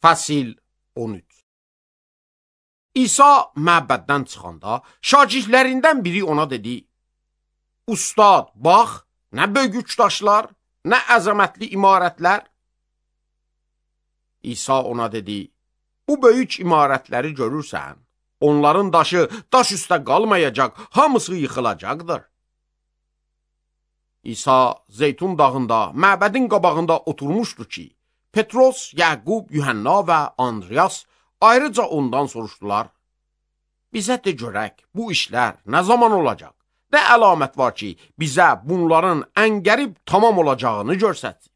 Fəsil 13. İsa məbəddən çıxanda şagirdlərindən biri ona dedi: Ustad, bax, nə böyük daşlar, nə əzəmətli imarətlər. İsa ona dedi: Bu böyük imarətləri görürsən, onların daşı daş üstə qalmayacaq, hamısı yıxılacaqdır. İsa Zeytun dağında, məbədin qabağında oturmuşdu ki, Petros, Yaqub, Yuhanna və Andreas ayrıca ondan soruşdular: Bizə de görək, bu işlər nə zaman olacaq? Nə əlamət var ki, bizə bunların ən qərib tamam olacağını görsətsin.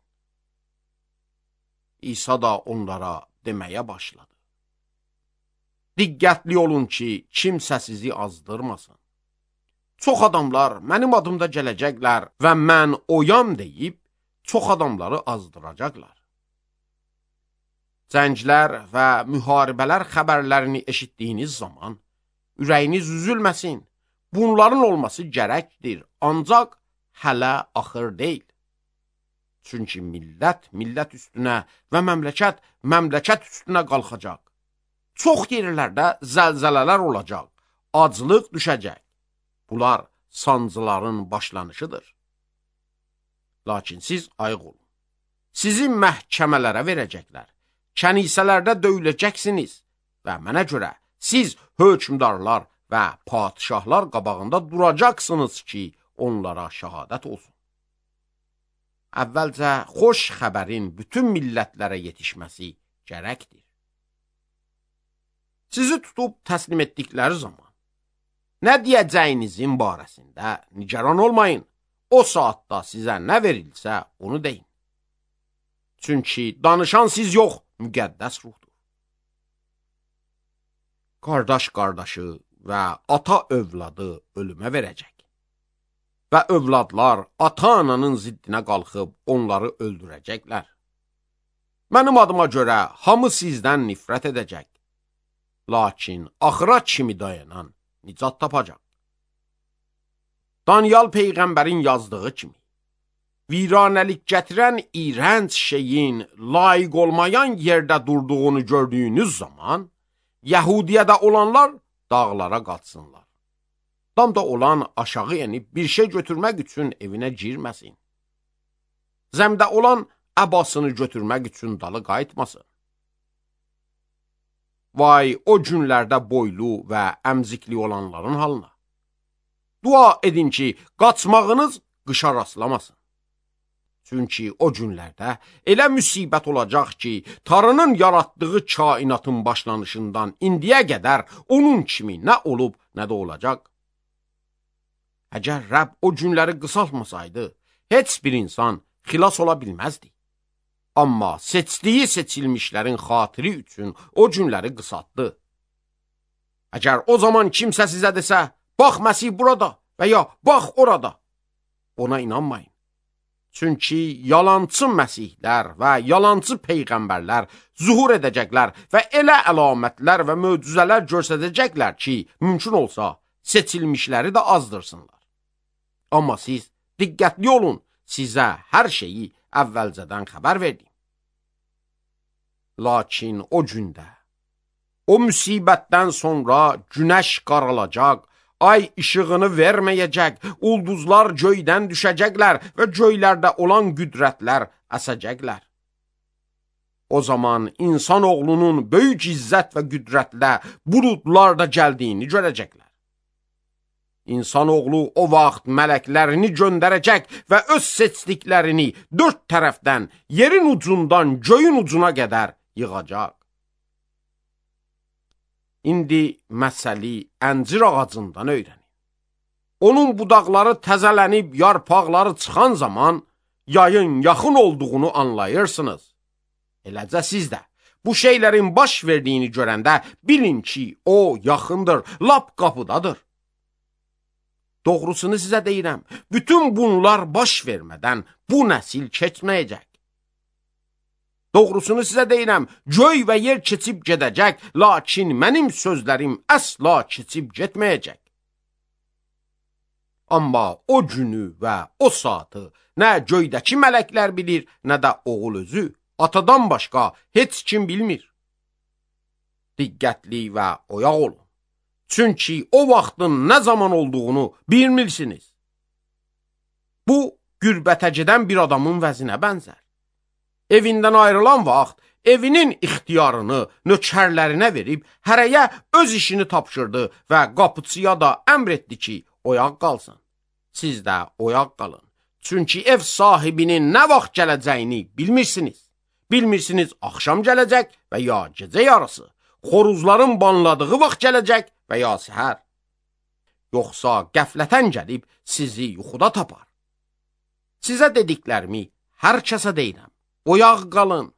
İsa da onlara deməyə başladı: Diqqətli olun ki, kimsə sizi azdırmasın. Çox adamlar mənim adımda gələcəklər və mən oyam deyib, çox adamları azdıracaqlar. Cənglər və müharibələr xəbərlərini eşitdiyiniz zaman, ürəyiniz üzülməsin, bunların olması gərəkdir, ancaq hələ axır deyil. Çünki millət üstünə və məmləkət üstünə qalxacaq. Çox yerlərdə zəlzələlər olacaq, aclıq düşəcək. Bunlar sancıların başlanışıdır. Lakin siz ayıq olun. Sizi məhkəmələrə verəcəklər. Kənisələrdə döyüləcəksiniz və mənə görə siz hökmdarlar və padişahlar qabağında duracaqsınız ki, onlara şəhadət olsun. Əvvəlcə xoş xəbərin bütün millətlərə yetişməsi gərəkdir. Sizi tutub təslim etdikləri zaman, nə deyəcəyinizin barəsində nigaran olmayın. O saatda sizə nə verilsə, onu deyin. Çünki danışan siz yox, müqəddəs ruhdur. Qardaş qardaşı və ata övladı ölümə verəcək. Və övladlar ata-ananın ziddinə qalxıb onları öldürəcəklər. Mənim adıma görə hamı sizdən nifrət edəcək. Lakin axıra kimi dayanan nicat tapacaq. Daniel Peyğəmbərin yazdığı kimi, viranəlik gətirən iğrənc şeyin layiq olmayan yerdə durduğunu gördüyünüz zaman, Yəhudiyədə olanlar dağlara qaçsınlar. Damda olan aşağı enib bir şey götürmək üçün evinə girməsin. Zəmdə olan əbasını götürmək üçün dalı qayıtmasın. Vay o günlərdə boylu və əmzikli olanların halına. Dua edin ki, qaçmağınız qışa rastlamasın. Çünki o günlərdə elə müsibət olacaq ki, Tanrının yaratdığı kainatın başlanışından indiyə qədər onun kimi nə olub, nə də olacaq. Əgər Rəbb o günləri qısaltmasaydı, heç bir insan xilas ola bilməzdi. Amma seçdiyi seçilmişlərin xatiri üçün o günləri qısaltdı. Əgər o zaman kimsə sizə desə, bax Məsih burada və ya bax orada, ona inanmayın. Çünki yalancı məsihlər və yalancı peyğəmbərlər zuhur edəcəklər və elə əlamətlər və möcüzələr göstərəcəklər ki, mümkün olsa seçilmişləri də azdırsınlar. Amma siz diqqətli olun, sizə hər şeyi əvvəlcədən xəbər verdim. Lakin o gündə, o müsibətdən sonra günəş qaralacaq, ay işığını verməyəcək, ulduzlar göydən düşəcəklər və göylərdə olan qüdrətlər əsəcəklər. O zaman insan oğlunun böyük izzət və qüdrətlə buludlarda gəldiyini görəcəklər. İnsan oğlu o vaxt mələklərini göndərəcək və öz seçdiklərini dörd tərəfdən, yerin ucundan göyün ucuna qədər yığacaq. İndi məsəli əncir ağacından öyrənin. Onun budaqları təzələnib, yarpaqları çıxan zaman yayın yaxın olduğunu anlayırsınız. Eləcə siz də bu şeylərin baş verdiyini görəndə bilin ki, o yaxındır, lap qapıdadır. Doğrusunu sizə deyirəm, bütün bunlar baş vermədən bu nəsil keçməyəcək. Doğrusunu sizə deyirəm, göy və yer keçib gedəcək, lakin mənim sözlərim əsla keçib getməyəcək. Amma o günü və o saatı nə göydəki mələklər bilir, nə də oğul özü, atadan başqa heç kim bilmir. diqqətli və oyaq olun. Çünki o vaxtın nə zaman olduğunu bilmirsiniz. Bu, gürbətə gedən bir adamın vəzinə bənzər. Evindən ayrılan vaxt, evinin ixtiyarını nökərlərinə verib, hərəyə öz işini tapşırdı və qapıçıya da əmr etdi ki, oyaq qalsın. Siz də oyaq qalın. Çünki ev sahibinin nə vaxt gələcəyini bilmirsiniz. Bilmirsiniz, axşam gələcək və ya gecə yarısı, xoruzların banladığı vaxt gələcək və ya səhər. Yoxsa qəflətən gəlib sizi yuxuda tapar. Sizə dediklərimi hər kəsə deyirəm. Oyaq qalın.